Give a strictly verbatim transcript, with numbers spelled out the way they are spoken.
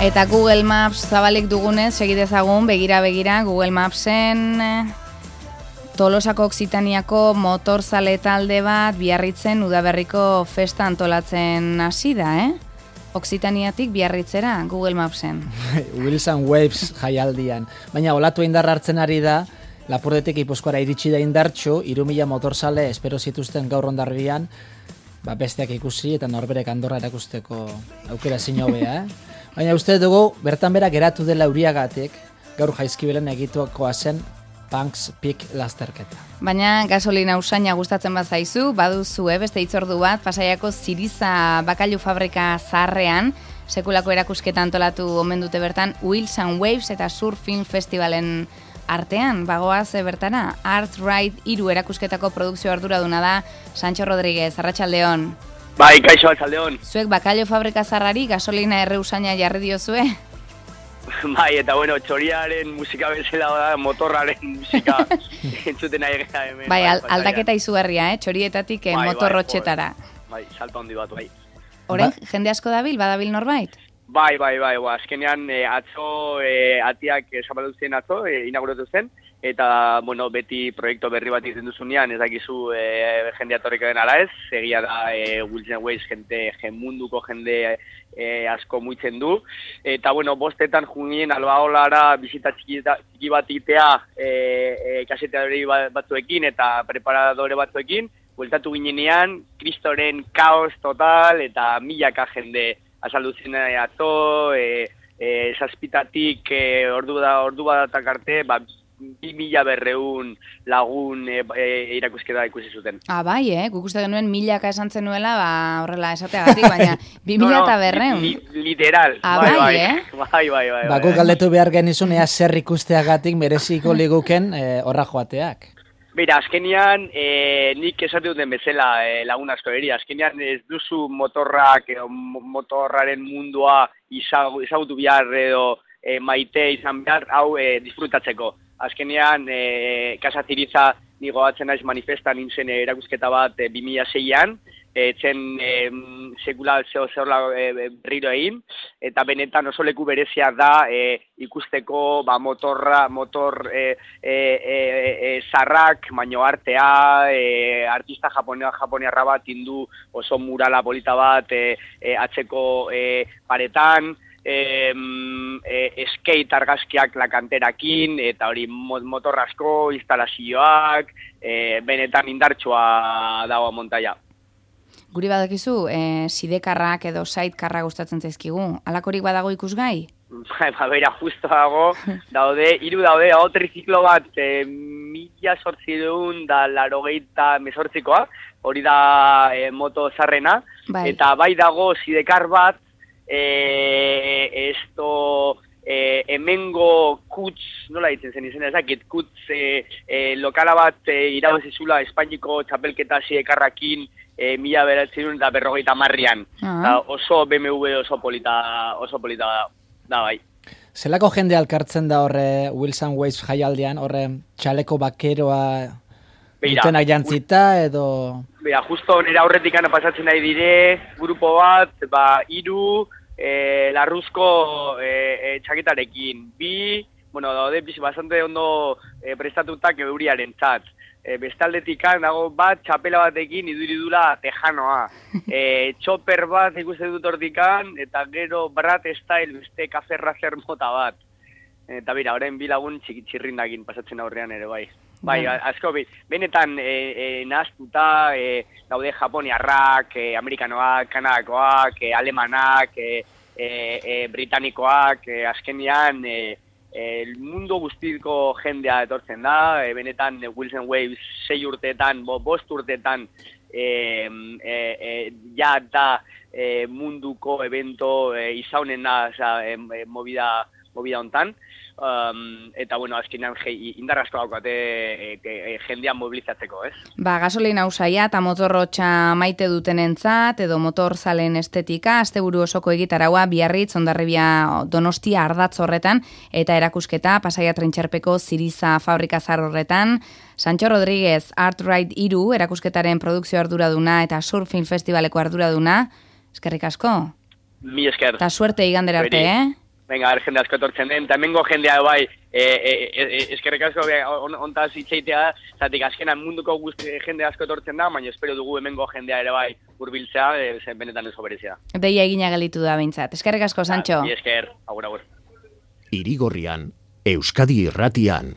Eta Google Maps zabalik dugunez, segidezagun, begira-begira, Google Mapsen Tolosako Oksitaniako motorzale talde bat Biarritzen udaberriko festa antolatzen hasi da, eh? Oksitaniatik Biarritzera, Google Mapsen. Wheels and Waves jaialdian. Baina olatu indarra hartzen ari da, Lapurdetik Gipuzkoara iritsi da indartxu, hiru mila motorzale espero zituzten gaur Hondarribian, ba besteak ikusi eta norberek Andorra erakusteko aukera ezin hobea, eh? Baina uste dugu, bertan bera geratu dela euriagatik, gaur Jaizkibelen egituakoa zen Punks Peak lasterketa. Baina gasolina usaina gustatzen bat zaizu, baduzu, eh, beste hitzordu bat, Pasaiako Ziriza bakailu fabrika zaharrean, sekulako erakusketa antolatu omen dute bertan, Wheels and Waves eta Surfing Festivalen artean, bagoaz bertara, Art Ride hiru erakusketako produkzio arduraduna da, Sancho Rodríguez, arratsaldeon. Bai, kaixo arratsaldeon. Zuek bakailu fabrika zaharrari gasolina erre usaina jarri diozue? Bai, eta bueno, txoriaren musika bezala da, motorraren musika entzuten nahi gara hemen. Bai, al, aldaketa izugarria, eh? Txorietatik eh, bai, motorrotxetara. Bai, bai, salto handi bat, bai. Horen, ba? Jende asko dabil, badabil norbait? Bai, bai, bai, bai, azkenean eh, atzo, eh, atiak zabaldu zen atzo, eh, inauguratu zen, eta, bueno, beti proiektu berri bat izan duzunean, ez dakizu eh, jende atorriko den ala ez, egia da eh, Wheels and Waves jente, munduko jende eh, asko muitzen du, eta, bueno, bostetan junien albaolara bizita txiki, txiki bat itea eh, eh, kaseteadori batzuekin eta preparadore batzuekin, bueltatu ginenean, kristoren kaos total eta milaka jende azaldu zen atzo, e, e, zazpitatik e, ordu, da, ordu badatak arte, ba, bi mila berreun lagun e, e, irakusketa ikusi zuten. Ah, bai, eh? Guk uste genuen milaka esan zenuela, ba, horrela esateagatik, baina bi mila no, no, eta berreun. Li, li, literal. Ah, bai, bai, bai, eh? Bai, bai, bai. Ba, guk galdetu behar genizun, ea zer ikusteagatik mereziko liguken e, horra joateak. Beira, azkenian, e, nik esate duten bezala e, lagun asko eri, azkenian ez duzu motorrak, e, motorraren mundua izagutu behar edo e, maite izan behar, hau e, disfrutatzeko. Azkenian, e, Casa Ziriza nigo batzen naiz manifestan nintzen e, erakusketa bat e, bi mila seian, e, zen e, sekula zeo zehola e, berriro egin, eta benetan oso leku berezia da e, ikusteko ba, motorra, motor e, e, e, e, zarrak, baino artea, e, artista japonea, japoniarra bat indu oso murala polita bat e, e, atzeko e, paretan, E, e, skate argazkiak lakanterakin, eta hori motorrasko, instalazioak, e, benetan indartsua dago montaia. Guri badakizu, e, sidekarrak edo sidekarra gustatzen zaizkigu, alakorik badago ikusgai? Ba, bera, justo dago, daude, hiru daude, hau triziklo bat, e, mila sortzideun da larogeita mesortzikoa, hori da e, moto zarrena, bai. Eta bai dago sidekar bat, Eh, esto eh, hemengo kutz, nola ditzen zen izena ezakit, kutz eh, eh, lokala bat eh, irabazizula Espainiko txapelketa sidekarrakin eh, mila beratzen da berrogeita marrian. Uh-huh. Oso B M W oso polita, oso polita da, da bai. Zelako jende alkartzen da horre Wheels and Waves jaialdian, horre txaleko bakeroa dutenak jantzita edo... Beira, justo nire aurretik ana pasatzen nahi dire, grupo bat, ba, iru, E, larruzko e, e, txaketarekin. Bi, bueno, daude, bastante ondo e, prestatutak euriaren tzat. E, bestaldetik dago bat, txapela batekin iduridula tejanoa. E, txoper bat ikusten dut hortikan, eta gero Brat Style beste kaferra zer mota bat. Eta bira, orain bilagun txirrindakin pasatzen aurrean ere bai. Bai, asko, benetan e, e, nahaztuta e, daude japoniarrak, e, amerikanoak, kanadakoak, e, alemanak, e, e, e, britanikoak, e, azkenian e, e, mundu guztiko jendea etortzen da, e, benetan e, Wheels and Waves sei urteetan, bo, bost urteetan e, e, e, ja da e, munduko evento e, izaunena, oza, e, e, movida, movida hontan. Um, eta, bueno, azkenean indarrazko daukate e, e, e, jendean mobilizatzeko, ez? Ba, gasolina usaia eta motorrotxa maite dutenentzat edo motorzalen estetika, asteburu osoko egitaraua Biarritz, Hondarribia, Donostia, Ardatz horretan, eta erakusketa Pasaia Trentxerpeko Ziriza fabrika zar horretan. Sancho Rodríguez, Art Ride hiru, erakusketaren produkzio arduraduna eta Surfing Festivaleko arduraduna. Eskerrik asko. Mi esker. Ta suerte igandera arte, eh? venga, jende asko etortzen den, eta hemengo jendea bai, e, e, e, eskerrik asko on, ontaz hitzeitea, zatik azkenan munduko guzti jende asko etortzen da, baina espero dugu hemengo jendea ere bai hurbiltzea, e, zen benetan ez berezia. Deia egina gelitu da behintzat. Eskerrik asko, Santxo. Bi esker, agur, agur. Irigorrian, Euskadi Irratian,